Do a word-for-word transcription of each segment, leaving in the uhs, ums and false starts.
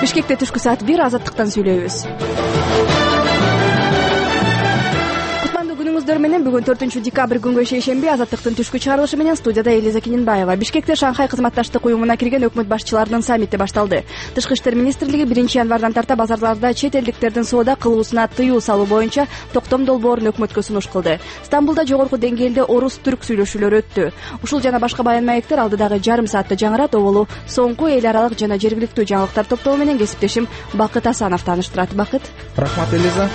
Бишкекте түшкү саат бир азаттыктан сүйлөйбүз. Кутмандуу күнүңүздөр менен бүгүн төртүнчү декабрь күнгө шейшемби азаттыктын түшкү чыгарылышы менен студияда Элиза Кененбаева. Бишкекте Шанхай кызматташтык уюмуна кирген өкмөт башчыларынын саммити башталды. Тышкы иштер министрлиги биринчи январдан тарта базарларда чет элдиктердин соода кылуусуна тыюу салуу боюнча токтом долбоорун өкмөткө сунуш кылды. Стамбулда жогорку деңгээлде орус-түрк сүйлөшүүлөрү өттү. Ушул жана башка баян маектер алдыдагы жарым саатта жаңырат. Оболу соңку эл аралык жана жергиликтүү жаңылыктар топтому менен кесиптешим Бакыт Асанов тааныштырат. Бакыт. Рахмат, Элиза.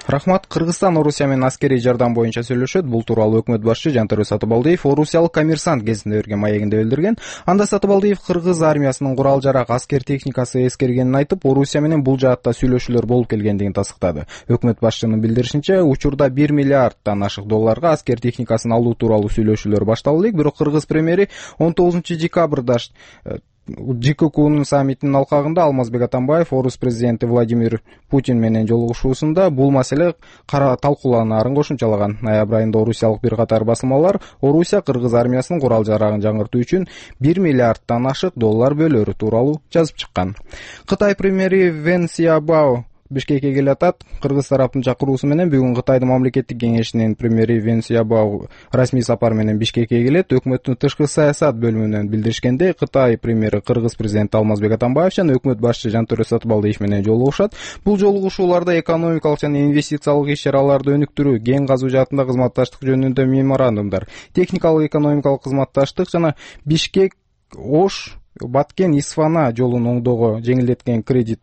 Рахмат. Кыргызстан Орусия менен аскерий жардам боюнча сүйлөшөт. Бул тууралуу өкмөт башчы Жантөрө Сатыбалдиев Орусиялык Коммерсант гезитинде берген маегинде билдирген. Анда Сатыбалдиев кыргыз армиясынын курал-жарак, аскер техникасы эскергенин айтып, Орусия менен бул жаатта сүйлөшүүлөр болуп келгендигин тастыктады. Өкмөт башчынын билдиришинче, учурда бир миллиарддан ашык долларга аскер техникасын алуу тууралуу сүйлөшүүлөр башталып элек, бирок кыргыз премьери он тогузунчу декабрда ЖККнун саммитинин алкагында Алмазбек Атамбаев орус президенти Владимир Путин менен жолугушуусунда бул маселе кара талкууланаарын кошумчалаган. Ноябрь айында орусиялык бир катар басылмалар Орусия кыргыз армиясынын курал-жарагын жаңыртуу үчүн бир миллиарддан ашык доллар бөлөрү тууралуу жазып чыккан. Кытай премьери Вен Сиабао Бишкекке келе атат. Кыргыз тараптын чакыруусу менен бүгүн Кытайдын мамлекеттик кеңешинин премьери Вен Сиабао расмий сапар менен Бишкекке келет. Өкмөттүн тышкы саясат бөлүмүнөн билдиришкенде, Кытай премьери кыргыз президенти Алмазбек Атамбаев жана өкмөт башчы Жантөрө Сатыбалдиев менен жолугушат. Бул жолугушууларда экономикалык жана инвестициялык иш-чараларды өнүктүрүү, кен казуу жаатында кызматташтык жөнүндө меморандумдар, техникалык экономикалык кызматташтык жана Бишкек Ош Баткен Исфана жолун оңдоого жеңилдеткен кредит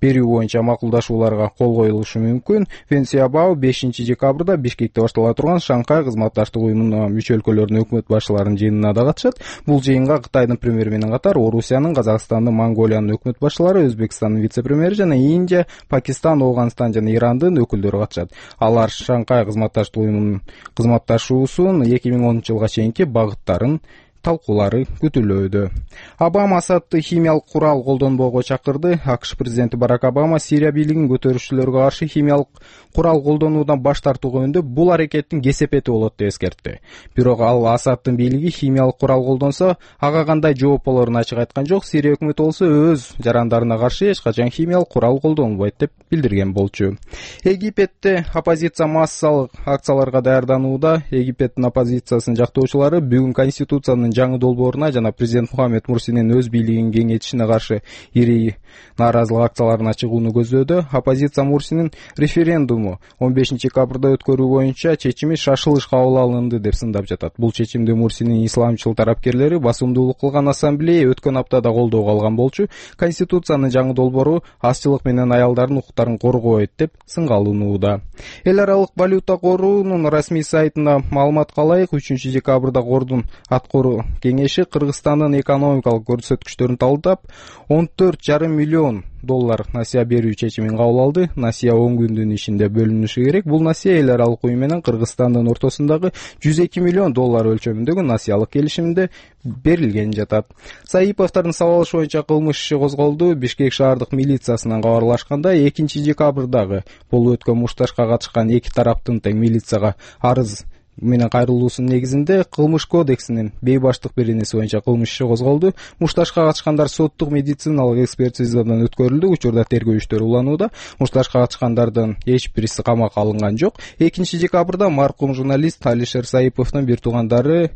берүү боюнча макулдашууларга кол коюлушу мүмкүн. Вен Сиабао бешинчи декабрда Бишкекте баштала турган Шанхай кызматташтык уюмунун мүчө өлкөлөрүнүн өкмөт башчыларынын жыйынына да катышат. Бул жыйынга Кытайдын премьери менен катар Орусиянын, Казакстандын, Монголиянын өкмөт башчылары, Өзбекстандын вице-премьери жана Индия, Пакистан, Ооганстан жана Ирандын өкүлдөрү катышат. Алар Шанхай кызматташтык уюмунун кызматташуусунун эки миң онунчу жылга чейинки багыттарын талкуулары күтүлүүдө. Обама Асадты химиялык курал колдонбоого чакырды. АКШ президенти Барак Обама Сирия бийлигин көтөрүүчүлөргө каршы химиялык курал колдонуудан баш тартуу жөнүндө бул аракеттин кесепети болот деп эскертти. Бирок ал Асадтын бийлиги химиялык курал колдонсо, ага кандай жооп болорун ачык айткан жок. Сирия өкмөтү болсо өз жарандарына каршы эч качан химиялык курал колдонбойт деп билдирген болчу. Египетте оппозиция массалык акцияларга даярданууда. Египеттин оппозициясынын жактоочулары бүгүн конституциянын жаңы долбооруна жана президент Мухаммед Мурсинин өз бийлигин кеңейтишине каршы ири нааразылык акцияларына чыгууну көздөөдө. Оппозиция Мурсинин референдуму он бешинчи декабрда өткөрүү боюнча чечими шашылыш кабыл алынды деп сындап жатат. Бул чечимди Мурсинин исламчыл тарапкерлери басымдуулук кылган ассамблея өткөн аптада колдоого алган болчу. Конституциянын жаңы долбоору азчылык менен аялдардын укуктарын коргойт деп сынга алынууда. Эл аралык валюта корунун расмий сайтына маалыматка ылайык, үчүнчү декабрда кордун аткаруу кеңеши Кыргызстандын экономикалык көрсөткүчтөрүн талдап он төрт жарым миллион доллар насыя берүү чечимин кабыл алды. Насыя он күндүн ичинде бөлүнүшү керек. Бул насыя эл аралык уюм менен Кыргызстандын ортосундагы жүз эки миллион доллар өлчөмүндөгү насыялык келишимде берилген жатат. Саиповдордун сабалышы боюнча кылмыш иши козголду. Бишкек шаардык милициясынан кабарлашканда, экинчи декабрдагы болуп өткөн мушташка катышкан эки тараптын тең милицияга арыз менен кайрылуусунун негизинде кылмыш кодексинин бейбаштык беренеси боюнча кылмыш иши козголду. Мушташка катышкандар соттук медициналык экспертизадан өткөрүлдү. Учурда тергөө иштери уланууда. Мушташка катышкандардын эч бириси камакка алынган жок. экинчи декабрда маркум журналист Алишер Саиповдун бир туугандары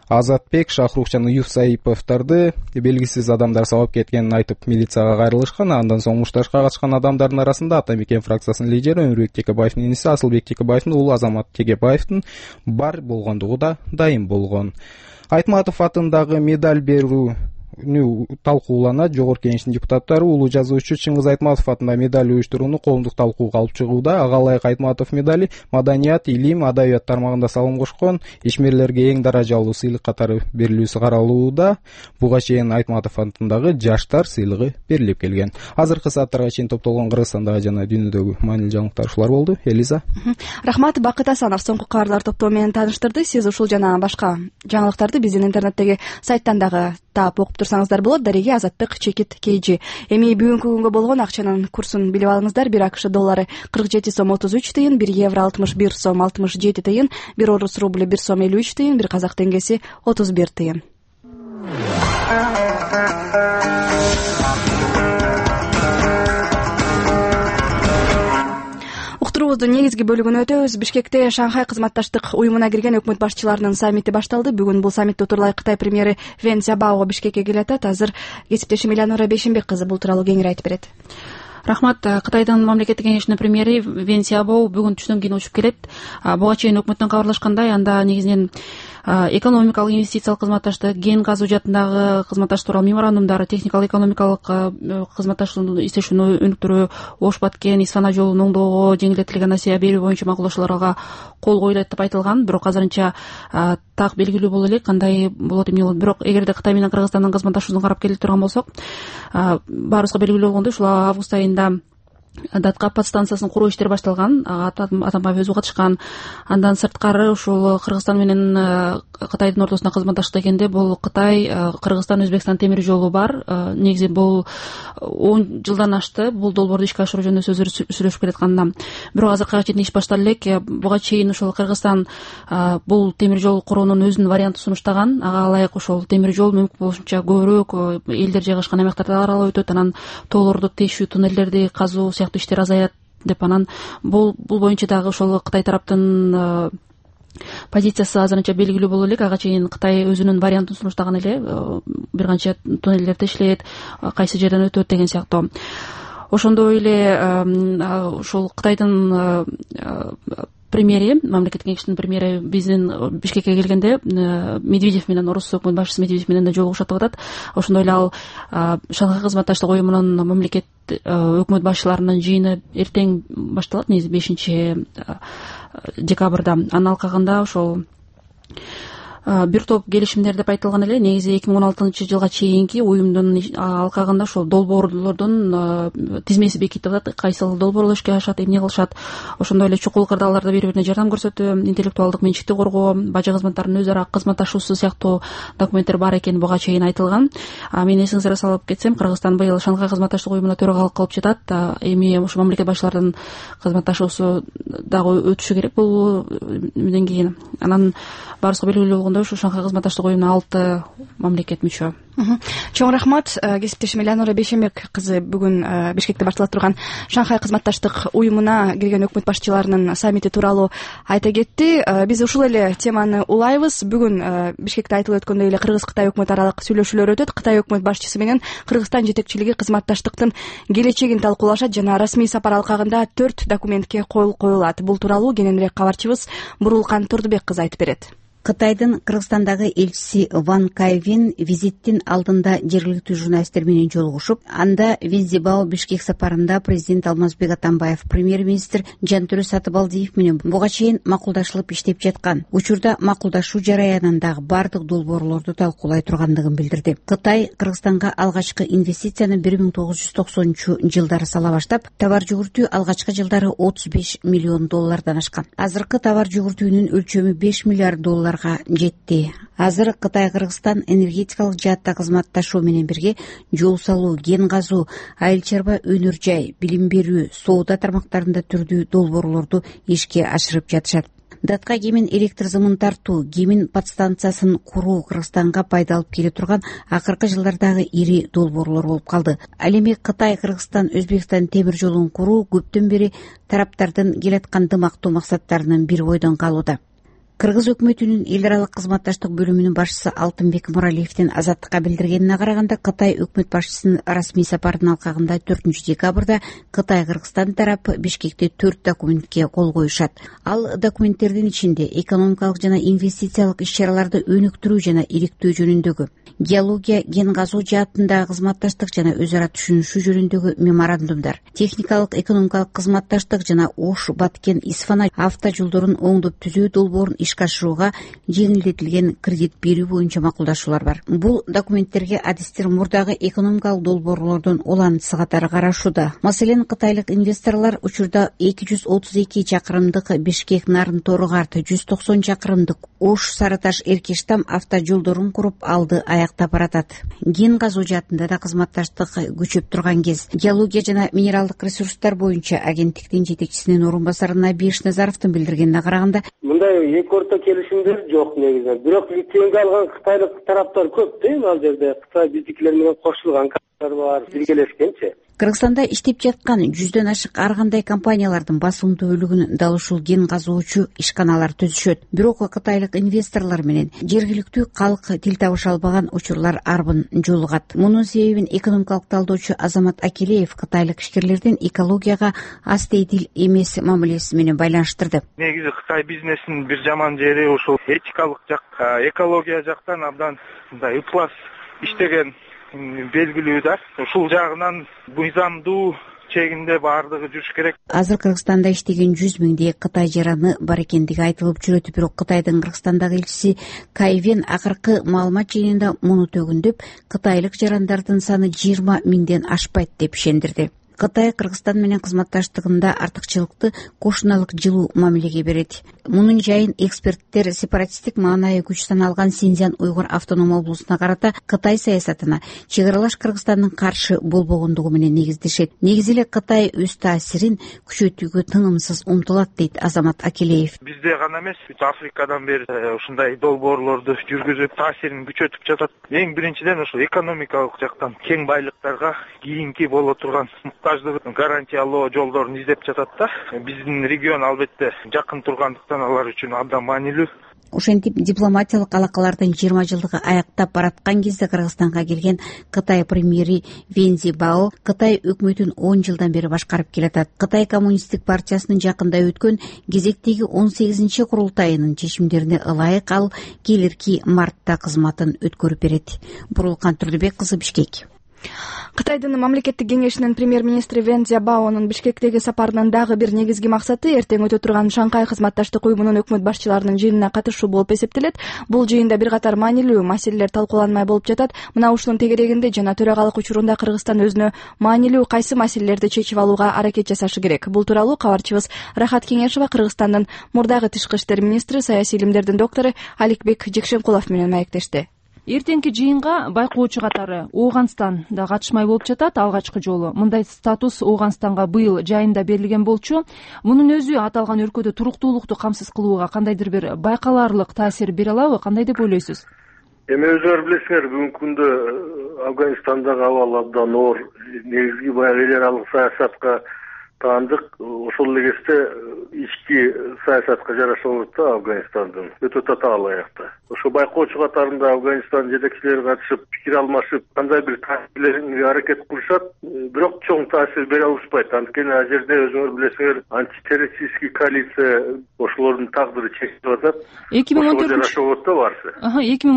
Азатбек, Шахрух жана Юф Саиповдорду белгисиз адамдар сабап кеткенин айтып милицияга кайрылышкан. Андан соң мушташка катышкан адамдардын арасында Ата Мекен фракциясынын лидери Өмүрбек Текебаевдин иниси Асылбек Текебаевдин уулу Азамат Текебаевдин бар болгондугу да дайым болгон. Айтматов атындагы медаль берүү талкууланат. Жогорку кеңештин депутаттары улуу жазуучу Чыңгыз Айтматов атында медаль уюштурууну коомдук талкууга алып чыгууда. Ага ылайык Айтматов медали маданият, илим, адабият тармагында салым кошкон ишмерлерге эң даражалуу сыйлык катары берилүүсү каралууда. Буга чейин Айтматов атындагы жаштар сыйлыгы берилип келген. Азыркы сааттарга чейин топтолгон Кыргызстандагы жана дүйнөдөгү маанилүү жаңылыктар ушулар болду. Элиза. Рахмат. Бакыт Асанов соңку кабарлар топтому менен тааныштырды. Сиз ушул жана башка жаңылыктарды биздин интернеттеги сайттан дагы таап окуп турсаңыздар болот. Дареги Азаттык Чекит Кейжи. Эми бүгүнкү күнгө болгон акчанын курсун билип алыңыздар. бир АКШ доллары кырк жети сом отуз үч тыйын, бир евро алтымыш бир сом алтымыш жети тыйын, бир орус рубль бир сом элүү үч тыйын, бир казак теңгеси отуз бир тыйын. программабыздын негизги бөлүгүнө өтөбүз. Бишкекте Шанхай кызматташтык уюмуна кирген өкмөт башчыларынын саммити башталды. Бүгүн бул саммитте отурлай Кытай премьери Вен Цзябао Бишкекке келатат. Азыр кесиптешим Элеонора Бейшенбек кызы бул тууралуу кеңири айтып берет. Рахмат. Кытайдын мамлекеттик кеңешинин премьери Вен Цзябао бүгүн түштөн кийин учуп келет. Буга чейин өкмөттөн кабарлашкандай, анда негизинен экономикалык инвестициялык кызматташтык, кен газу жаатындагы кызматташтык тууралуу меморандумдар, техникалык экономикалык кызматташтык иштешүүнү өнүктүрүү, Ош Баткен Исфана жолун оңдоого жеңилдетилген несие берүү боюнча макулдашууларга кол коюлат деп айтылган. Бирок азырынча так белгилүү боло элек кандай болот эмне болот. Бирок эгерде Кытай менен Кыргызстандын кызматташуусун карап келе турган болсок, баарыбызга белгилүү болгондой, ушул август айында Даткап подстанциясынын куруу иштери башталган. Атамбаев өзү катышкан. Андан сырткары ушул Кыргызстан менен Кытайдын ортосунда кызматташтык экенде, бул Кытай, Кыргызстан, Өзбекстан темир жолу бар. Негизи бул он жылдан ашты бул долбоорду ишке ашыруу жөнүндө сөздөр сүйлөшүп келатканына. Бирок азыркыга чейин иш башталып элек. Буга чейин ошол Кыргызстан бул темир жол куруунун өзүнүн вариантын сунуштаган. Ага ылайык ошол темир жол мүмкүн болушунча көбүрөөк элдер жайгашкан аймактарда аралап өтөт, анан тоолорду тешүү, туннелдерди казуу сыяктуу иштер азаят деп, анан бул бул боюнча дагы ошол Кытай тараптын позициясы азырынча белгилүү боло элек. Ага чейин Кытай өзүнүн вариантын сунуштаган эле, бир канча туннелдер тешилет, кайсы жерден өтөт деген сыяктуу. Ошондой эле ушул Кытайдын премьери, мамлекеттик кеңештин премьери биздин Бишкекке келгенде Медведев менен, орус өкмөт башчысы Медведев менен да жолугушат деп атат. Ошондой эле ал Шанхай кызматташтык уюмунун мамлекет өкмөт башчыларынын жыйыны эртең башталат, негизи бешинчи декабрда. Анын алкагында ошол бир топ келишимдер деп айтылган эле. Негизи эки миң он алтынчы жылга чейинки уюмдун алкагында ошол долбоорлордун тизмеси бекитип атат. Кайсыл долбоорлор ишке ашат, эмне кылышат. Ошондой эле чукул кырдаалдарда бири бирине жардам көрсөтүү, интеллектуалдык менчикти коргоо, бажы кызматтарынын өз ара кызматташуусу сыяктуу документтер бар экени буга чейин айтылган. Мен эсиңизге салып кетсем, Кыргызстан быйыл Шанхай кызматташтык уюмуна төрагалык кылып жатат. Эми ошо мамлекет башчыларынын кызматташуусу дагы өтүшү керек бул менден кийин. Анан баарыбызга белгилүү болгондой, ушу Шанхай кызматташтык уюмуна алты мамлекет мүчө. Чоң рахмат. Кесиптешим Элеонора Бейшенбек кызы бүгүн Бишкекте башталып турган Шанхай кызматташтык уюмуна кирген өкмөт башчыларынын саммити тууралуу айта кетти. Биз ушул эле теманы улайбыз. Бүгүн Бишкекте айтылып өткөндөй эле Кыргыз-Кытай өкмөт аралык сүйлөшүүлөр өтөт. Кытай өкмөт башчысы менен Кыргызстан жетекчилиги кызматташтыктын келечегин талкуулашат жана расмий сапар алкагында төрт документке кол коюлат. Бул тууралуу кененирээк кабарчыбыз Бурулкан Турдубек кызы айтып берет. Кытайдын Кыргызстандагы элчиси Ван Кайвин визиттин алдында жергиликтүү журналисттер менен жолугушуп, анда Вен Цзябао Бишкек сапарында президент Алмазбек Атамбаев, премьер-министр Жантөрө Сатыбалдиев менен буга чейин макулдашылып иштеп жаткан. Учурда макулдашуу жараянындагы бардык долбоорлорду талкуулай тургандыгын билдирди. Кытай Кыргызстанга алгачкы инвестицияны бир миң тогуз жүз токсонунчу жылдары сала баштап, товар жүгүртүү алгачкы жылдары отуз беш миллион доллардан ашкан. Азыркы товар жүгүртүүнүн өлчөмү беш миллиард доллар жетти. Азыр Кытай Кыргызстан энергетикалык жаатта кызматташуу менен бирге жол салуу, кен газуу, айыл чарба өнөр жай, билим берүү, соода тармактарында түрдүү долбоорлорду ишке ашырып жатышат. Датка кемин электр зымын тартуу, кемин подстанциясын куруу Кыргызстанга пайда алып келе турган акыркы жылдардагы ири долбоорлор болуп калды. Ал эми Кытай, Кыргызстан, Өзбекстан темир жолун куруу көптөн бери тараптардын келаткан дымактуу максаттарынын бири бойдон калууда. Кыргыз өкмөтүнүн эл аралык кызматташтык бөлүмүнүн башчысы Алтынбек Муралиевдин Азаттыкка билдиргенине караганда, Кытай өкмөт башчысынын расмий сапарынын алкагында төртүнчү декабрда Кытай Кыргызстан тарапы Бишкекте төрт документке кол коюшат. Ал документтердин ичинде экономикалык жана инвестициялык иш-чараларды өнүктүрүү жана иликтөө жөнүндөгү, геология, кен газуу жаатындагы кызматташтык жана өз ара түшүнүшүү жөнүндөгү меморандумдар, техникалык экономикалык кызматташтык жана Ош Баткен Исфана авто жолдорун оңдоп түзүү долбоорун ишке ашырууга жеңилдетилген кредит берүү боюнча макулдашуулар бар. Бул документтерге адистер мурдагы экономикалык долбоорлордун улантысы катары карашууда. Маселен, кытайлык инвесторлор учурда эки жүз отуз эки чакырымдык Бишкек Нарын Тору-Карты, жүз токсон чакырымдык Ош Сарыташ Эркештам авто жолдорун куруп алды аяктап баратат. Кен газуу жаатында да кызматташтык күчөп турган кез. Геология жана минералдык ресурстар боюнча агенттиктин жетекчисинин орун басары Набиш Назаровдун билдиргенине караганда, мындай эки орто келишимдер жок негизинен. Бирок лицензия алган кытайлык тараптар көп да, ал жерде Кытай биздикилер менен кошулган. бар биргелешкенчи. Кыргызстанда иштеп жаткан жүздөн ашык ар кандай компаниялардын басымдуу бөлүгүн дал ушул кен казуучу ишканалар түзүшөт. Бирок кытайлык инвесторлор менен жергиликтүү калк тил табыша албаган учурлар арбын жолугат. Мунун себебин экономикалык талдоочу Азамат Акелеев кытайлык ишкерлердин экологияга аз тийдил эмес мамилеси менен байланыштырды. Негизи Кытай бизнесинин бир жаман жери ушул этикалык жак, экология жактан абдан мындай ыплас иштеген белгилүү да. Ушул жагынан мыйзамдуу чегинде баардыгы жүрүш керек. Азыр Кыргызстанда иштеген жүз миңдей Кытай жараны бар экендиги айтылып жүрөт. Бирок Кытайдын Кыргызстандагы элчиси Кайвен акыркы маалымат жыйынында муну төгүндөп, кытайлык жарандардын саны жыйырма миңден ашпайт деп ишендирди. Кытай Кыргызстан менен кызматташтыгында артыкчылыкты кошуналык жылуу мамилеге берет. Мунун жайын эксперттер сепаратисттик маанайы күч саналган Синьцзян уйгур автоном облусуна карата Кытай саясатына чек аралаш Кыргызстандын каршы болбогондугу менен негиздешет. Негизи эле Кытай өз таасирин күчөтүүгө тынымсыз умтулат, дейт Азамат Акелеев. Бизде гана эмес, бүт Африкадан бери ушундай долбоорлорду жүргүзүп таасирин күчөтүп жатат. Эң биринчиден ушул экономикалык жактан кең байлыктарга кийинки боло турган гарантиялоо жолдорун издеп жатат да. Биздин регион албетте жакын тургандыктан алар үчүн абдан маанилүү. Ошентип дипломатиялык алакалардын жыйырма жылдыгы аяктап бараткан кезде Кыргызстанга келген Кытай премьери Вен Цзибао Кытай өкмөтүн он жылдан бери башкарып келатат. Кытай коммунисттик партиясынын жакында өткөн кезектеги он сегизинчи курултайынын чечимдерине ылайык ал келирки мартта кызматын өткөрүп берет. Бурулкан Турдубек кызы, Бишкек. Кытайдын мамлекеттик кеңешинин премьер-министри Вен Цзибаонун Бишкектеги сапарынын дагы бир негизги максаты эртең өтө турган Шанхай кызматташтык уюмунун өкмөт башчыларынын жыйынына катышуу болуп эсептелет. Бул жыйында бир катар маанилүү маселелер талкууланмай болуп жатат. Мына ушунун тегерегинде жана төрагалык учурунда Кыргызстан өзүнө маанилүү кайсы маселелерди чечип алууга аракет жасашы керек. Бул тууралуу кабарчыбыз Рахат Кеңешова Кыргызстандын мурдагы тышкы иштер министри, саясий илимдердин доктору Аликбек Жекшенкулов менен маектешти. Эртеңки жыйынга байкоочу катары Ооганстан да катышмай болуп жатат. Алгачкы жолу мындай статус Ооганстанга быйыл жайында берилген болчу. Мунун өзү аталган өлкөдө туруктуулукту камсыз кылууга кандайдыр бир байкалаарлык таасир бере алабы? Кандай деп ойлойсуз? Эми өзүңөр билесиңер, бүгүнкү күндө Афганистандагы абал абдан оор. Негизги баягы эл аралык саясатка таандык. Ошол эле кезде ички саясатка жараша болот да Афганистандын өтө татаал аякта. Ошо байкоочу катарында Афганистан жетекчилери катышып, пикир алмашып, кандай бир таасирге аракет кылышат, бирок чоң таасир бере алышпайт. Анткени ал жерде өзүңөр билесиңер, антитеррористический коалиция ошолордун тагдыры чечилип атат. эки миң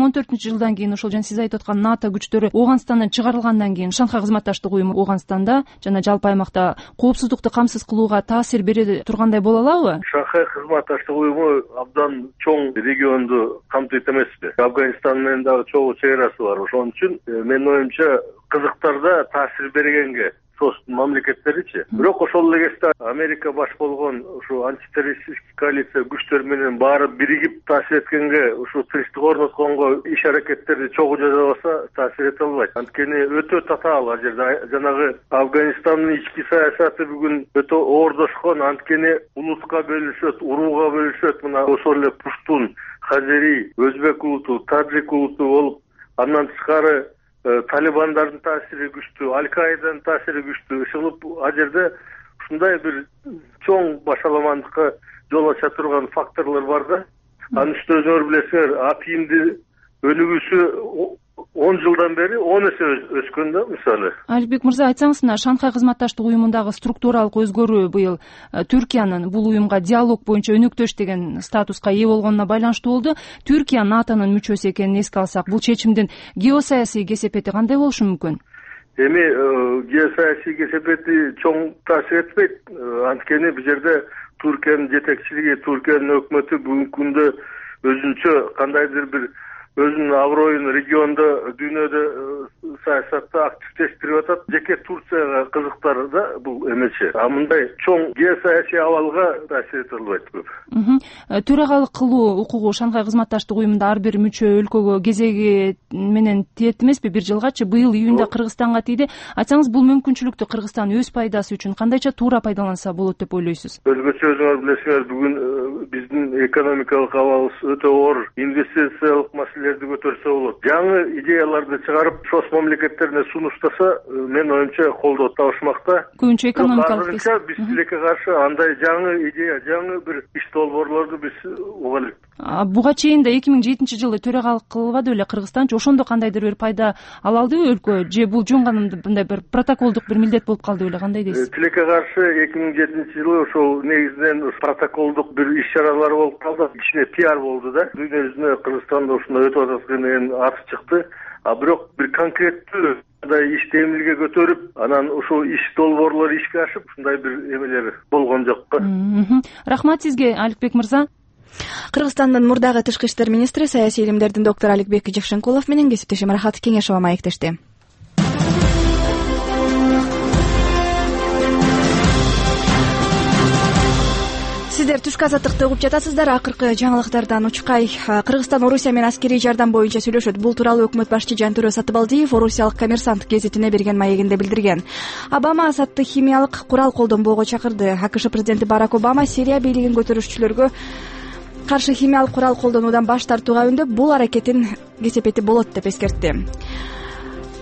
он төртүнчү жылдан кийин ошол жана сиз айтып аткан НАТО күчтөрү Ооганстандан чыгарылгандан кийин Шанхай кызматташтык уюму Ооганстанда жана жалпы аймакта коопсуздукту камсыз кылууга таасир бере тургандай боло алабы? Шанхай кызматташтык уюму абдан чоң регионду камтыйт эмеспи? Афганистан менен дагы чогуу чек арасы бар. Ошон үчүн менин оюмча кызыктарда таасир бергенге мамлекеттеричи. Бирок ошол эле кезде Америка баш болгон ушу антитеррористический коалиция күчтөр менен баары биригип таасир эткенге, ушу тынчтык орнотконго иш аракеттерди чогуу жасабаса таасир эте албайт. Анткени өтө татаал ал жерде. Жанагы Афганистандын ички саясаты бүгүн өтө оордошкон. Анткени улутка бөлүнүшөт, урууга бөлүнүшөт. Мына ошол эле пуштун, хазери, өзбек улуту, таджик улуту болуп, андан тышкары талибандардын таасири күчтүү, Аль-Каиданын таасири күчтүү. Ушинтип ал жерде ушундай бир чоң башаламандыкка жол ача турган факторлор бар да. Анын үстүнө өзүңөр билесиңер, атийимдин өнүгүүсү он жылдан бери он эсе өскөн да, мисалы. Аликбек мырза, айтсаңыз, мына Шанхай кызматташтык уюмундагы структуралык өзгөрүү быйыл Түркиянын бул уюмга диалог боюнча өнөктөш деген статуска ээ болгонуна байланыштуу болду. Түркия НАТОнун мүчөсү экенин эске алсак, бул чечимдин геосаясий кесепети кандай болушу мүмкүн? Эми геосаясий кесепети чоң таасир этпейт. Анткени бул жерде Түркиянын жетекчилиги, Түркиянын өкмөтү бүгүнкү күндө өзүнчө кандайдыр бир өзүнүн аброюн региондо, дүйнөдө саясатта активдештирип атат. Жеке Турцияга кызыктар да бул эмечи. А мындай чоң геосаясий абалга таасир эте албайт көп. Төрагалык кылуу укугу Шанхай кызматташтык уюмунда ар бир мүчө өлкөгө кезеги менен тиет эмеспи? Бир жылгачы быйыл июнда Кыргызстанга тийди. Айтсаңыз, бул мүмкүнчүлүктү Кыргызстан өз пайдасы үчүн кандайча туура пайдаланса болот деп ойлойсуз? Өзгөчө өзүңөр билесиңер, бүгүн биздин экономикалык абалыбыз өтө оор. Инвестициялык маселелерди көтөрсө болот. Жаңы идеяларды чыгарып, шос мамлекеттерине сунуштаса, менин оюмча колдоо табышмакта. Көбүнчө экономикалык. Азырынча биз тилекке каршы андай жаңы идея, жаңы бир иш долбоорлорду биз уга элек. Буга чейин да эки миң жетинчи жылы төрагалык кылбады беле Кыргызстанчы? Ошондо кандайдыр бир пайда ала алдыбы өлкө, же бул жөн гана мындай бир протоколдук бир милдет болуп калды беле? Кандай дейсиз? Тилекке каршы эки миң жетинчи жылы ошол негизинен протоколдук бир иш чаралар болуп калды. Кичине пиар болду да. Дүйнө жүзүнө Кыргызстанда ушундай өтүп атат деген аты чыкты. А бирок бир конкреттүү мындай ишти эмилге көтөрүп, анан ушул иш долбоорлор ишке ашып, ушундай бир эмелер болгон жок. Рахмат сизге, Аликбек мырза. Кыргызстандын мурдагы тышкы иштер министри, саясий илимдердин доктору Аликбек Жакшенкулов менен кесиптешим Рахат Кеңешова маектешти. Сиздер түшкү азаттыкты угуп жатасыздар. Акыркы жаңылыктардан учкай. Кыргызстан Орусия менен аскерий жардам боюнча сүйлөшөт. Бул тууралуу өкмөт башчы Жантөрө Сатыбалдиев Орусиялык Коммерсант гезитине берген маегинде билдирген. Обама Асадты химиялык курал колдонбоого чакырды. АКШ президенти Барак Обама Сирия бийлигин көтөрүүчүлөргө каршы химиялык курал колдонуудан баш тартууга үндөп, бул аракеттин кесепети болот деп эскертти.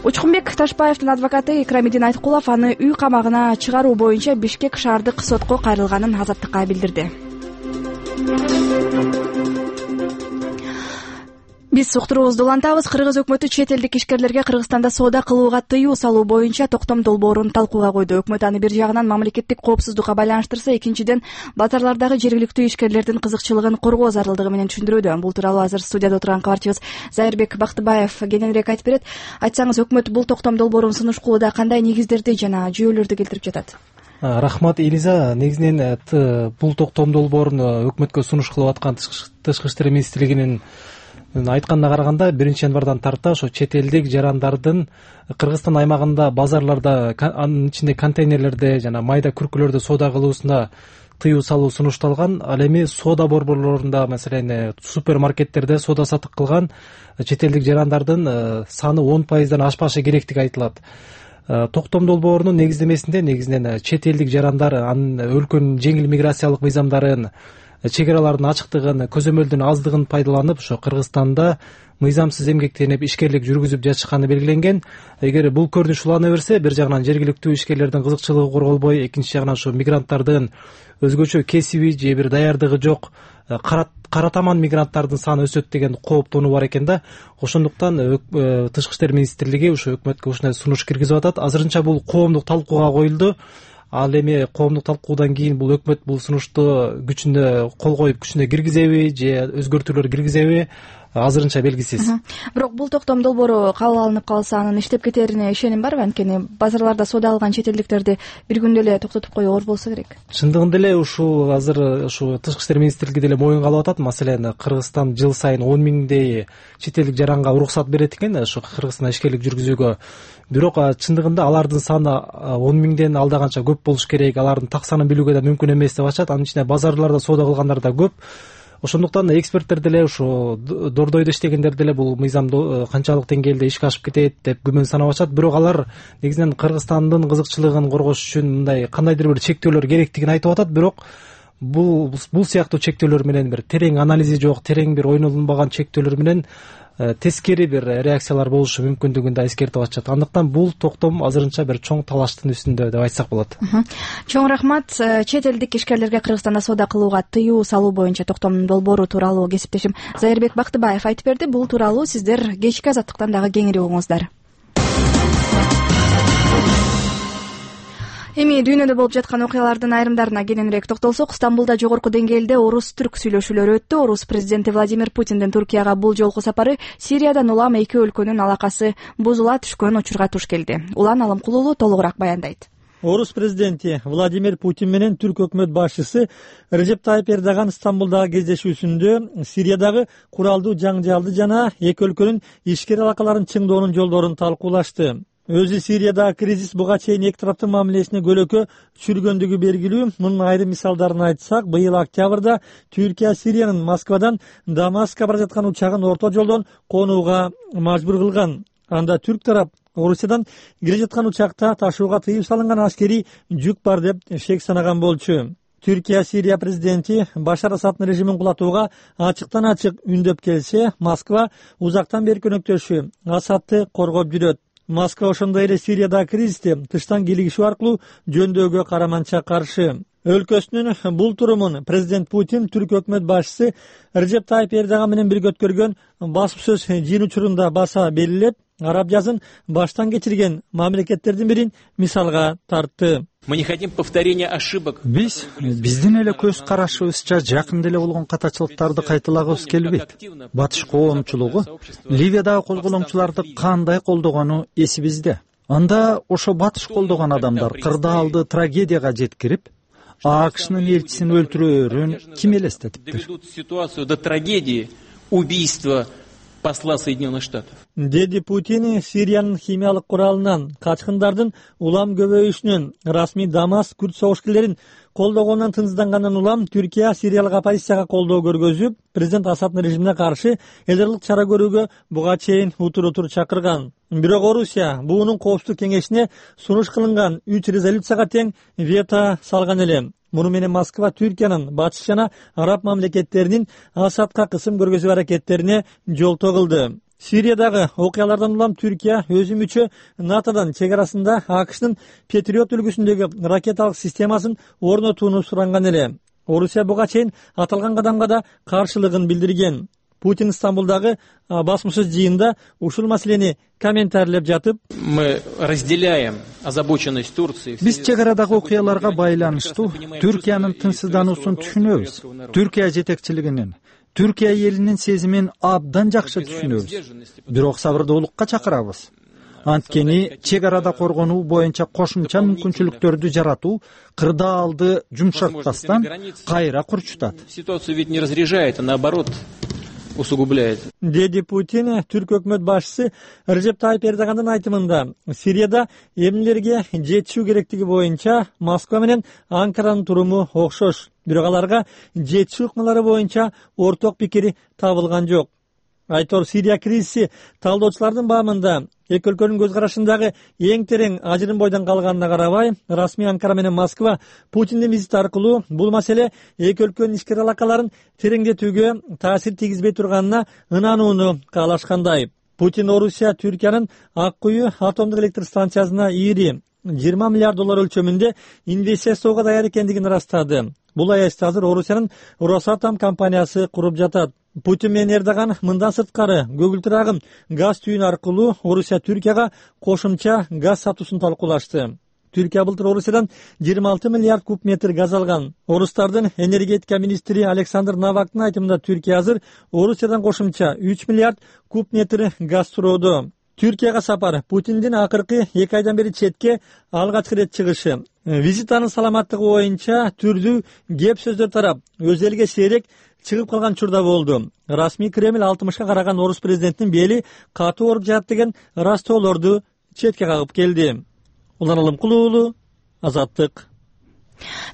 Учкунбек Ташбаевдин адвокаты Икрамидин Айткулов аны үй камагына чыгаруу боюнча Бишкек шаардык сотко кайрылганын Азаттыкка билдирди. Биз уктуруубузду улантабыз. Кыргыз өкмөтү чет элдик ишкерлерге Кыргызстанда соода кылууга тыюу салуу боюнча токтом долбоорун талкууга койду. Өкмөт аны бир жагынан мамлекеттик коопсуздукка байланыштырса, экинчиден базарлардагы жергиликтүү ишкерлердин кызыкчылыгын коргоо зарылдыгы менен түшүндүрүүдө. Бул тууралуу азыр студияда отурган кабарчыбыз Зайырбек Бактыбаев кененирээк айтып берет. Айтсаңыз, өкмөт бул токтом долбоорун сунуш кылууда кандай негиздерди жана жүйөлөрдү келтирип жатат? Рахмат, Элиза. Негизинен бул токтом долбоорун өкмөткө сунуш кылып аткан тышкы иштер министрлигинин айтканына караганда биринчи январдан тарта ошо чет элдик жарандардын Кыргызстан аймагында базарларда, анын ичинде контейнерлерде жана майда күркүлөрдө соода кылуусуна тыюу салуу сунушталган. Ал эми соода борборлорунда, маселен супермаркеттерде соода сатык кылган чет элдик жарандардын саны он пайыздан ашпашы керектиги айтылат. Токтом долбоорунун негиздемесинде негизинен чет элдик жарандар анын өлкөнүн жеңил миграциялык мыйзамдарын, чек аралардын ачыктыгын, көзөмөлдүн аздыгын пайдаланып, ошо Кыргызстанда мыйзамсыз эмгектенип ишкерлик жүргүзүп жатышканы белгиленген. Эгер бул көрүнүш улана берсе, бир жагынан жергиликтүү ишкерлердин кызыкчылыгы корголбой, экинчи жагынан ошо мигранттардын өзгөчө кесиби же бир даярдыгы жок кара таман мигранттардын саны өсөт деген кооптонуу бар экен да. Ошондуктан тышкы иштер министрлиги ошо өкмөткө ушундай сунуш киргизип атат. Азырынча бул коомдук талкууга коюлду. Ал эми коомдук талкуудан кийин бул өкмөт бул сунушту күчүнө кол коюп күчүнө киргизеби же өзгөртүүлөр киргизеби, азырынча белгисиз. Бирок бул токтом долбоору кабыл алынып калса, анын иштеп кетерине ишеним барбы? Анткени базарларда соода алган чет элдиктерди бир күндө эле токтотуп коюу оор болсо керек. Чындыгында эле ушул азыр ушу тышкы иштер министрлиги деле моюнга алып атат. Маселен, Кыргызстан жыл сайын он миңдей чет элдик жаранга уруксат берет экен ушу Кыргызстанда ишкерлик жүргүзүүгө. Бирок чындыгында алардын саны он миңден алдаганча көп болуш керек. Алардын так санын билүүгө да мүмкүн эмес деп атышат. Анын ичинде базарларда соода кылгандар да көп. Ошондуктан эксперттер деле ушу дордойдо иштегендер деле бул мыйзам канчалык деңгээлде ишке ашып кетет деп күмөн санап атышат. Бирок алар негизинен Кыргызстандын кызыкчылыгын коргош үчүн мындай кандайдыр бир чектөөлөр керектигин айтып атат. Бирок бул бул сыяктуу чектөөлөр менен бир терең анализи жок, терең бир ойнолунбаган чектөөлөр менен тескери бир реакциялар болушу мүмкүндүгүн да эскертип атышат. Андыктан бул токтом азырынча бир чоң талаштын үстүндө деп айтсак болот. Чоң рахмат. Чет элдик ишкерлерге Кыргызстанда соода кылууга тыюу салуу боюнча токтом долбоору тууралуу кесиптешим Зайырбек Бактыбаев айтып берди. Бул тууралуу сиздер кечки азаттыктан дагы кеңири угуңуздар. Эми дүйнөдө болуп жаткан окуялардын айрымдарына кененирээк токтолсок, Стамбулда жогорку деңгээлде орус-түрк сүйлөшүүлөрү өттү. Орус президенти Владимир Путиндин Туркияга бул жолку сапары Сириядан улам эки өлкөнүн алакасы бузула түшкөн учурга туш келди. Улан Алымкулуулу толугураак баяндайт. Орус президенти Владимир Путин менен түрк өкмөт башчысы Режеп Тайып Эрдоган Стамбулдагы кездешүүсүндө Сириядагы куралдуу жаңжалды жана эки өлкөнүн ишкер алакаларын чыңдоонун жолдорун талкуулашты. Өзү Сириядагы кризис буга чейин эки тараптын мамилесине көлөкө түшүргөндүгү белгилүү. Мунун айрым мисалдарын айтсак, быйыл октябрда Түркия Сириянын Москвадан Дамаскка бара жаткан учагын орто жолдон конууга мажбур кылган. Анда түрк тарап Орусиядан кире жаткан учакта ташууга тыюу салынган аскерий жүк бар деп шек санаган болчу. Түркия Сирия президенти Башар Асаддын режимин кулатууга ачыктан ачык үндөп келсе, Москва узактан бери көнөктөшү Асадды коргоп жүрөт. Москва ошондой эле Сириядагы кризисти тыштан кийлигишүү аркылуу жөндөөгө караманча каршы. Өлкөсүнүн бул турумун президент Путин түрк өкмөт башчысы Режеп Тайип Эрдоган менен бирге өткөргөн басма сөз жыйын учурунда баса белгилеп, араб жазын баштан кечирген мамлекеттердин бирин мисалга тартты. Биз биздин эле көз карашыбызча жакында эле болгон катачылыктарды кайталагыбыз келбейт. Батыш коомчулугу Ливиядагы козголоңчуларды кандай колдогону эсибизде. Анда ошо батыш колдогон адамдар кырдаалды трагедияга жеткирип, АКШнын элчисин өлтүрөөрүн ким элестетиптир? Ситуацию до трагедии убийства посла Соединенных Штатов. Деди Путин Сириянын химиялык куралынан качкындардын улам көбөйүшүнөн расмий Дамаск күрд согушкерлерин колдогонунан тынчсыздангандан улам Түркия Сириялык оппозицияга колдоо көргөзүп, президент Асаддын режимине каршы элдерлик чара көрүүгө буга чейин утур-утур чакырган. Бирок Орусия буунун коопсуздук кеңешине сунуш кылынган үч резолюцияга тең вето салган эле. Муну менен Москва Түркиянын батыш жана араб мамлекеттеринин Асадка кысым көргөзүү аракеттерине жолтоо кылды. Сириядагы окуялардан улам Түркия өзү мүчө НАТОдон чек арасында АКШнын Патриот үлгүсүндөгү ракеталык системасын орнотууну суранган эле. Орусия буга чейин аталган кадамга да каршылыгын билдирген. Путин Стамбулдагы басма сөз жыйында ушул маселени комментарийлеп жатып, мы разделяем озабоченность Турции. Биз чек арадагы окуяларга байланыштуу Түркиянын тынчсыздануусун түшүнөбүз. Түркия жетекчилигинин, Түркия элинин сезимин абдан жакшы түшүнөбүз. Бирок сабырдуулукка чакырабыз. Анткени чек арада коргонуу боюнча кошумча мүмкүнчүлүктөрдү жаратуу кырдаалды жумшартпастан кайра курчутат. Ситуацию ведь не разряжает, а наоборот усугубляет. Деди Путин түрк өкмөт башчысы Режеп Тайип Эрдогандын айтымында Сирияда эмнелерге жетишүү керектиги боюнча Москва менен Анкаранын туруму окшош. Бирок аларга жетишүү ыкмалары боюнча орток пикири табылган жок. Айтор Сирия кризиси талдоочулардын баамында эки өлкөнүн көз карашындагы эң терең ажырым бойдон калганына карабай, расмий Анкара менен Москва Путиндин визити аркылуу бул маселе эки өлкөнүн ишкер алакаларын тереңдетүүгө таасир тийгизбей турганына ынанууну каалашкандай. Путин Орусия Түркиянын Ак Куyu атомдук электр станциясына ири жыйырма миллиард доллар өлчөмүндө инвестиция жасоого даяр экендигин ырастады. Бул аязда азыр Орусиянын Росатом компаниясы куруп жатат. Путин менен Эрдоган мындан сырткары көгүлтүр агым газ түйүн аркылуу Орусия Түркияга кошумча газ сатуусун талкуулашты. Түркия былтыр Орусиядан жыйырма алты миллиард куб метр газ алган. Орустардын энергетика министри Александр Навактын айтымында Түркия азыр Орусиядан кошумча үч миллиард куб метр газ суроодо. Түркияга сапар Путиндин акыркы эки айдан бери четке алгачкы ирет чыгышы. Визитанын саламаттыгы боюнча түрдүү кеп сөздөр тарап, өз элге сейрек чыгып калган учурда болду. Расмий Кремль алтымышка караган орус президентинин бели катуу ооруп жатат деген ырастоолорду четке кагып келди. Улан Алымкулуу уулу, Азаттык.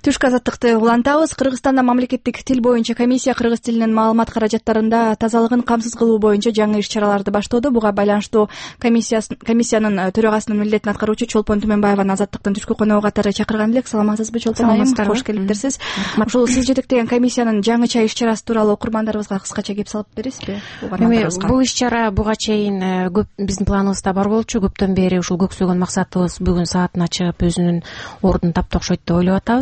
Түшкү азаттыкты улантабыз. Кыргызстанда мамлекеттик тил боюнча комиссия кыргыз тилинин маалымат каражаттарында тазалыгын камсыз кылуу боюнча жаңы иш-чараларды баштоодо. Буга байланыштуу комиссиянын төрагасынын милдетин аткаруучу Чолпон Түмөнбаеваны азаттыктын түшкү коногу катары чакырган элек. Саламатсызбы, Чолпон айым? Кош келипсиз. Ушул сиз жетектеген комиссиянын жаңыча иш-чарасы тууралуу окурмандарыбызга кыскача кеп салып бересизби? Бул иш-чара буга чейин көп биздин планыбызда бар болчу. Көптөн бери ушул көксөгөн максатыбыз бүгүн саатына чыгып өзүнүн ордун таптык окшойт деп ойлоп атабыз.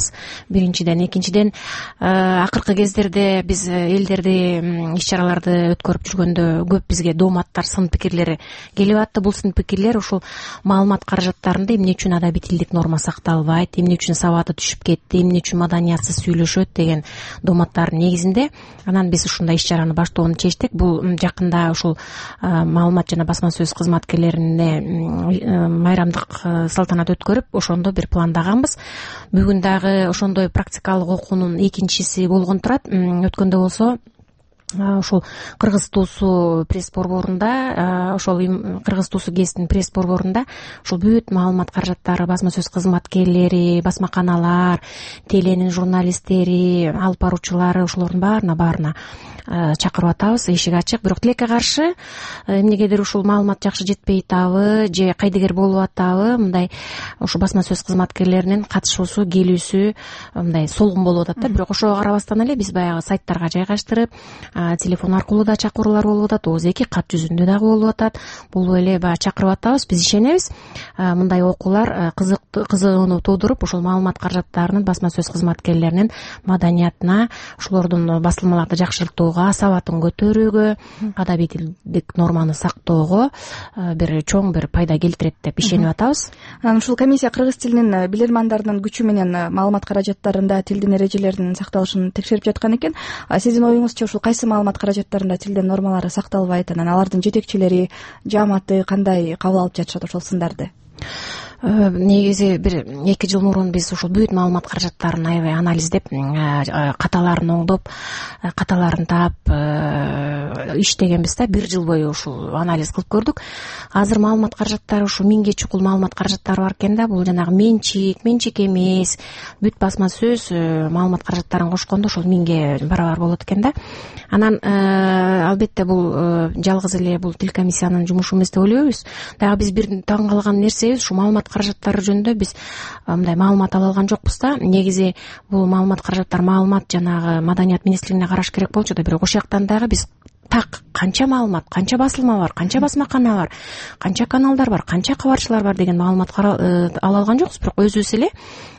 Биринчиден, экинчиден акыркы кездерде биз элдерди иш-чараларды өткөрүп жүргөндө көп бизге дооматтар, сын пикирлери келип атты. Бул сын пикирлер ушул маалымат каражаттарында эмне үчүн адабий тилдик норма сакталбайт, эмне үчүн сабаты түшүп кетти, эмне үчүн маданиятсыз сүйлөшөт деген дооматтардын негизинде. Анан биз ушундай иш-чараны баштоону чечтик. Бул жакында ушул маалымат жана басма сөз кызматкерлерине майрамдык салтанат өткөрүп, ошондо бир пландаганбыз. Бүгүн дагы ошондой практикалык окуунун экинчиси болгон турат. Өткөндө болсо ушул Кыргыз туусу пресс борборунда, ошол Кыргыз туусу гезитинин пресс борборунда ушул бүт маалымат каражаттары, басма сөз кызматкерлери, басма каналар, теленин журналисттери, алып баруучулары, ошолордун баарына баарына чакырып атабыз. Эшик ачык. Бирок тилекке каршы эмнегедир ушул маалымат жакшы жетпей атабы же кайдыгер болуп атабы, мындай ушул басма сөз кызматкерлеринин катышуусу, келүүсү мындай солгун болуп атат да. Бирок ошого карабастан эле биз баягы сайттарга жайгаштырып, телефон аркылуу да чакыруулар болуп атат, ооз эки кат жүзүндө дагы болуп атат. Бул эле баягы чакырып атабыз, биз ишенебиз мындай окуулар кызыгууну туудуруп, ошол маалымат каражаттарынын басма сөз кызматкерлеринин маданиятына, ошолордун басылмаларды жакшыртууга, сабатын көтөрүүгө, адабий тилдик норманы сактоого бир чоң бир пайда келтирет деп ишенип атабыз. Анан ушул комиссия кыргыз тилинин билирмандарынын күчү менен маалымат каражаттарында тилдин эрежелеринин сакталышын текшерип жаткан экен. Сиздин оюңузча ушул кайсы маалымат каражаттарында тилдин нормалары сакталбайт, анан алардын жетекчилери, жааматы кандай кабыл алып жатышат ошол сындарды? Негизи бир эки жыл мурун биз ушул бүт маалымат каражаттарын аябай анализдеп, каталарын оңдоп, каталарын таап иштегенбиз да. Бир жыл бою ушул анализ кылып көрдүк. Азыр маалымат каражаттары ушу миңге чукул маалымат каражаттары бар экен да. Бул жанагы менчик, менчик эмес, бүт басма сөз маалымат каражаттарын кошкондо ошол миңге барабар болот экен да. Анан албетте бул жалгыз эле бул тил комиссиянын жумушу эмес деп ойлойбуз. Дагы биз бир таң калган нерсебиз, ушу маалымат каражаттары жөнүндө биз мындай маалымат ала алган жокпуз да. Негизи бул маалымат каражаттар маалымат жанагы маданият министрлигине караш керек болчу да, бирок ошол жактан дагы биз так канча маалымат, канча басылма бар, канча басмакана бар, канча каналдар бар, канча кабарчылар бар деген маалымат ала алган жокпуз. Бирок өзүбүз эле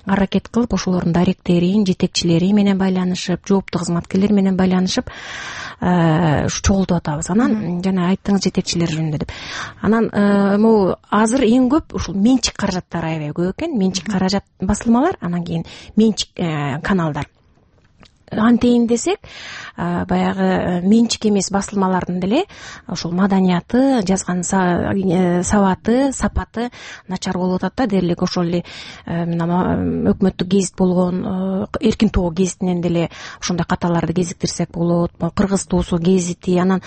аракет кылып ошолордун директорин, жетекчилери менен байланышып, жооптуу кызматкерлер менен байланышып чогултуп атабыз. Анан жана айттыңыз жетекчилер жөнүндө деп. Анан могу азыр эң көп ушул менчик каражаттары аябай көп экен. Менчик каражат басылмалар, анан кийин менчик каналдар. Антейин десек, баягы менчик эмес басылмалардын деле ошол маданияты, жазган сабаты, сапаты начар болуп атат да. Дээрлик ошол эле өкмөттүк гезит болгон Эркин тоо гезитинен деле ошондой каталарды кезиктирсек болот. Кыргыз туусу гезити, анан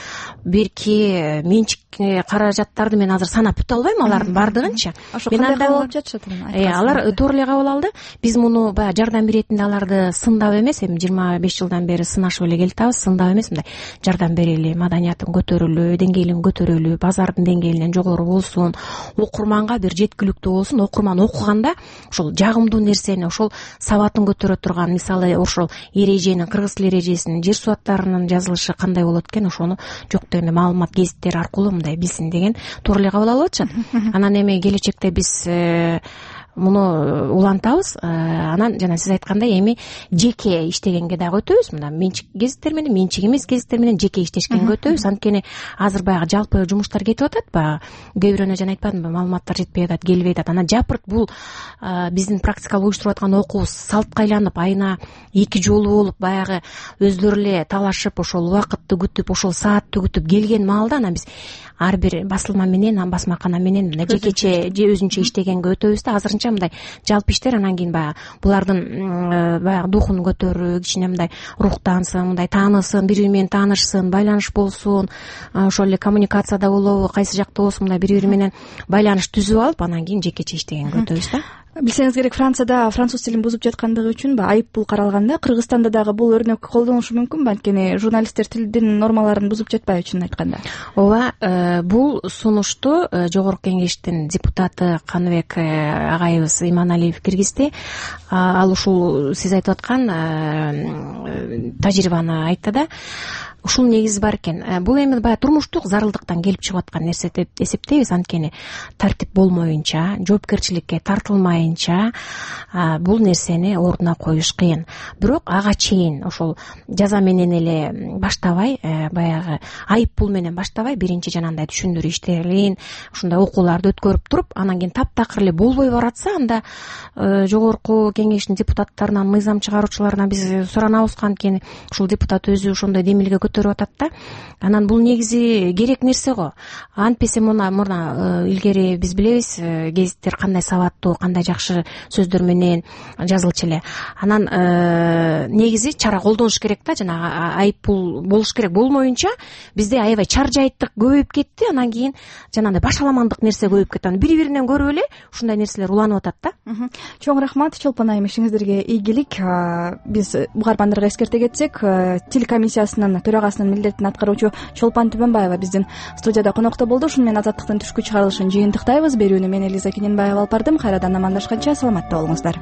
берки менчик каражаттарды мен азыр санап бүтө албайм, алардын баардыгынчы. Ошо кандай кабыл алып жатышат? Э, алар туура эле кабыл алды. Биз муну баягы жардам беретинде аларды сындап эмес, эми жыйырма беш жылдан бери сынашып эле келатабыз. Сындап эмес, мындай жардам берели, маданиятын көтөрүлү, деңгээлин көтөрүлү, базардын деңгээлинен жогору болсун, окурманга бир жеткиликтүү болсун. Окурман окуганда ошол жагымдуу нерсени, ошол сабатын көтөрө турган, мисалы ошол эреженин, кыргыз тил эрежесинин, жер суаттарынын жазылышы кандай болот экен, ошону жок дегенде маалымат гезиттер аркылуу мындай билсин деген туура эле кабыл алып атышат. Анан эми келечекте биз муну улантабыз. Анан жана сиз айткандай эми жеке иштегенге дагы өтөбүз. Мына менчик гезиттер менен, менчик эмес гезиттер менен жеке иштешкенге өтөбүз. Анткени азыр баягы жалпы жумуштар кетип атат. Баягы кээ бирөөнө жана айтпадымбы, маалыматтар жетпей атат, келбей атат. Анан жапырт бул биздин практикалык уюштуруп аткан окуубуз салтка айланып, айына эки жолу болуп, баягы өздөрү эле талашып, ошол убакытты күтүп, ошол саатты күтүп келген маалда анан биз ар бир басылма менен, басмакана менен мына жекече же өзүнчө иштегенге өтөбүз да. Азырынча мындай жалпы иштер, анан кийин баягы булардын баягы духун көтөрүү, кичине мындай руктансын, мындай таанысын, бири бири менен таанышсын, байланыш болсун, ошол эле коммуникацияда болобу, кайсы жакта болсун, мындай бири бири менен байланыш түзүп алып, анан кийин жекече иштегенге өтөбүз да. Билсеңиз керек, Францияда француз тилин бузуп жаткандыгы үчүн айып пул каралган да. Кыргызстанда дагы бул өрнөк колдонулушу мүмкүнбү? Анткени журналисттер тилдин нормаларын бузуп жатпайбы, чынын айтканда? Ооба, бул сунушту Жогорку Кеңештин депутаты Каныбек агайыбыз Иманалиев киргизди. Ал ушул сиз айтып аткан тажрыйбаны айтты да. Ушул негизи бар экен. Бул эми баягы турмуштук зарылдыктан келип чыгып аткан нерсе деп эсептейбиз. Анткени тартип болмоюнча, жоопкерчиликке тартылмайынча бул нерсени ордуна коюш кыйын. Бирок ага чейин ошол жаза менен эле баштабай, баягы айып пул менен баштабай, биринчи жанагындай түшүндүрүү иштерин, ушундай окууларды өткөрүп туруп, анан кийин таптакыр эле болбой баратса, анда Жогорку Кеңештин депутаттарынан, мыйзам чыгаруучуларынан биз суранабыз. Анткени ушул депутат өзү ошондой демилге көтөрүп атат да. Анан бул негизи керек нерсе го. Антпесе мына мына илгери биз билебиз, гезиттер кандай сабаттуу, кандай жакшы сөздөр менен жазылчу эле. Анан негизи чара колдонуш керек да, жана айып пул болуш керек. Болмоюнча бизде аябай чаржайттык көбөйүп кетти. Анан кийин жанагындай башаламандык нерсе көбөйүп кетти. Анан бири-биринен көрүп эле ушундай нерселер уланып атат да. Чоң рахмат, Чолпон айым, ишиңиздерге ийгилик. Биз угармандарга эскерте кетсек, тил комиссиясынын төрагасынын милдетин аткаруучу Чолпон Түбөнбаева биздин студияда конокто болду. Ушуну менен Азаттыктын түшкү чыгарылышын жыйынтыктайбыз. Берүүнү мен Элиза Кененбаева алып бардым. Кайрадан амандашканча саламатта болуңуздар.